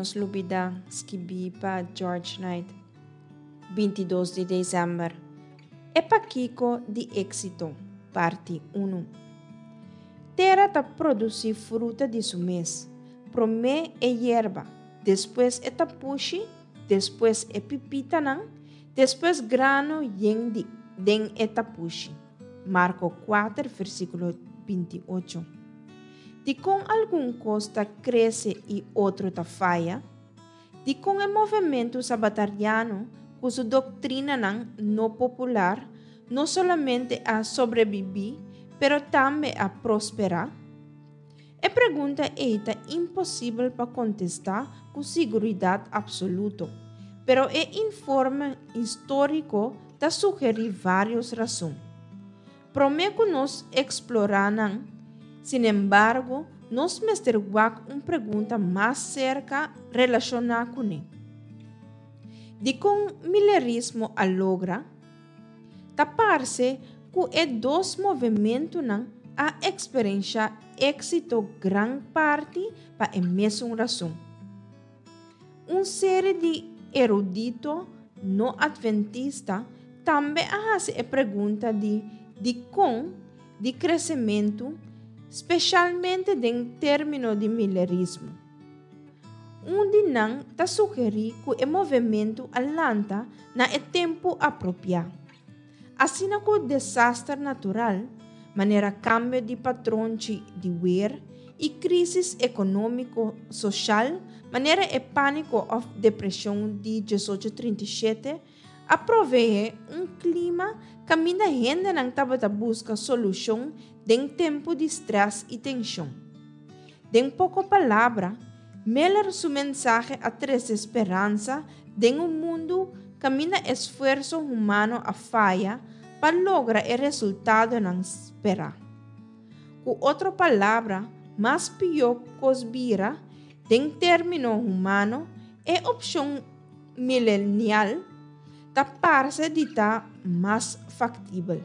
nos lubidá, skibí pa George Knight. 22 di desèmber. E pakiko di éksito, parti unu. Tera ta produsí fruta di su mes, promé e yerba, despues e tapushi, despues e pipitanan, despues grano yen di den e tapushi. Marko kuater versíkulo 28. Dikon algun kos ta krese i otro ta faya? Dikon e movementu sabatariano ku su doktrinanan no popular no solamente a sobrebibí pero tambe a prosperá? E pregunta ei ta imposibel pa kontestá ku siguridat apsoluto, pero e informe históriko ta sugerí vários rason. Promé ku nos eksplorá nan, sinembargo, nos mester wak un pregunta mas serka relashoná kuné. Dikon milerismo a logra? Ta parse ku e dos movementunan a eksperenshá éksito gran parti pa e mesun rason. Un seri di erudito no adventista tambe a hasi e pregunta di dikon di kresementu, speshalmente den término di milerismo. Un di nan ta sugerí ku e movementu a lanta na e tempu apropiá. Asina ku desaster natural, manera kambio di patronchi di wer i krísis ekonómiko soshal, manera e pániko òf depreshon di 1837, a proveé un klima kaminda hendenan tabata buska solushon den tempu di strès i tenshon. Den poko palabra, Miller su mensahe a trese speransa den un mundu kaminda esfuerso humano a faya pa logra e resultadonan sperá. Ku otro palabra, mas pió kos bira, den término humano, e opshon milenial ta parse di ta mas faktibel.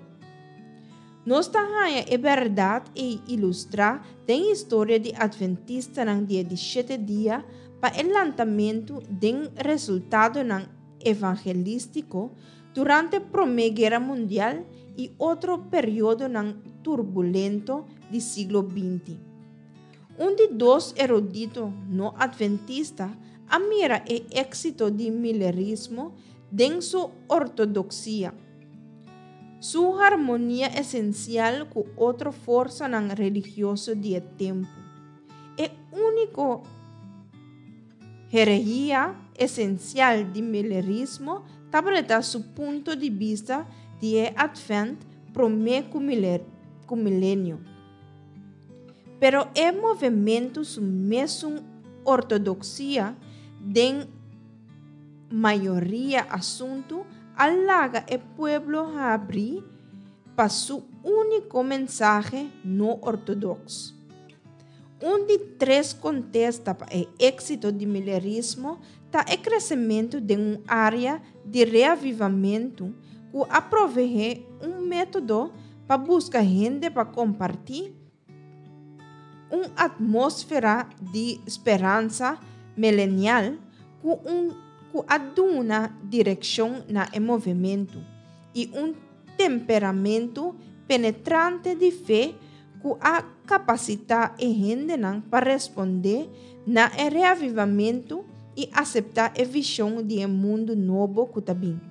Nos ta haña e bèrdat ei ilustrá den historia di Atventistanan di e di shete dia pa e lantamentu den resultadonan evangelístiko durante Promé Guera Mundial i otro periodonan turbulento di siglo 20. Un di dos erudito no atventista a mira e éksito di milerismo den su ortodoksia. Su harmonia esensial ku otro forsanan religioso di e tempu. E úniko herehia esensial di milerismo tabata su punto di bista di e Atvènt promé ku milenio. Pero e movementu su mesun ortodoksia den mayoria asuntu a laga e pueblo habrí pa su úniko mensahe no ortodoks. Un di tres kontesta pa e éksito di milerismo ta e kresementu den un área di reavivamentu ku a proveé un método pa buska hende pa kompartí un atmósfera di speransa milenial ku un ku a duna direkshon na e movementu i un temperamentu penetrante di fe ku a kapasitá e hendenan pa respondé na e reavivamentu i aseptá e vishon di e mundu nobo ku ta bin.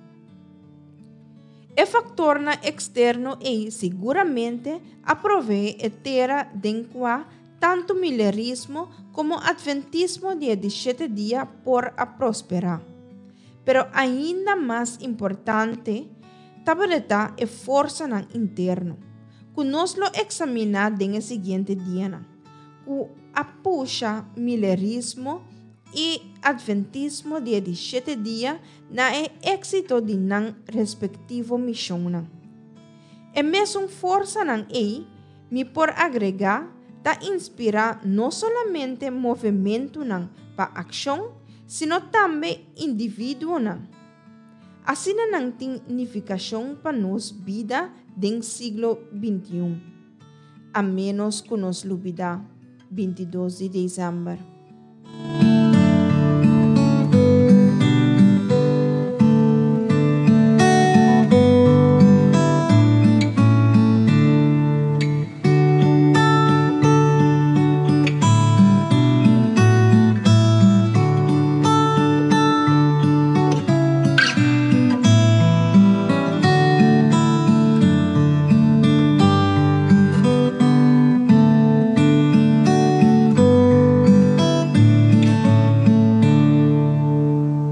E faktornan eksterno ei siguramente a proveé e tera den kua tantu milerismo komo atventismo di e di shete dia por a prosperá. Pero ainda mas importante tabata e forsanan interno, ku nos lo eksaminá den e siguiente dianan, ku a pusha milerismo i atventismo di e di shete dia na e éksito di nan respektivo mishonnan. E mesun forsanan ei, mi por agregá, ta inspirá no solamente movementunan pa akshon, sino tambe individuonan. Asina nan tin nifikashon pa nos bida den siglo 21. A ménos ku nos lubidá 22 di desèmber.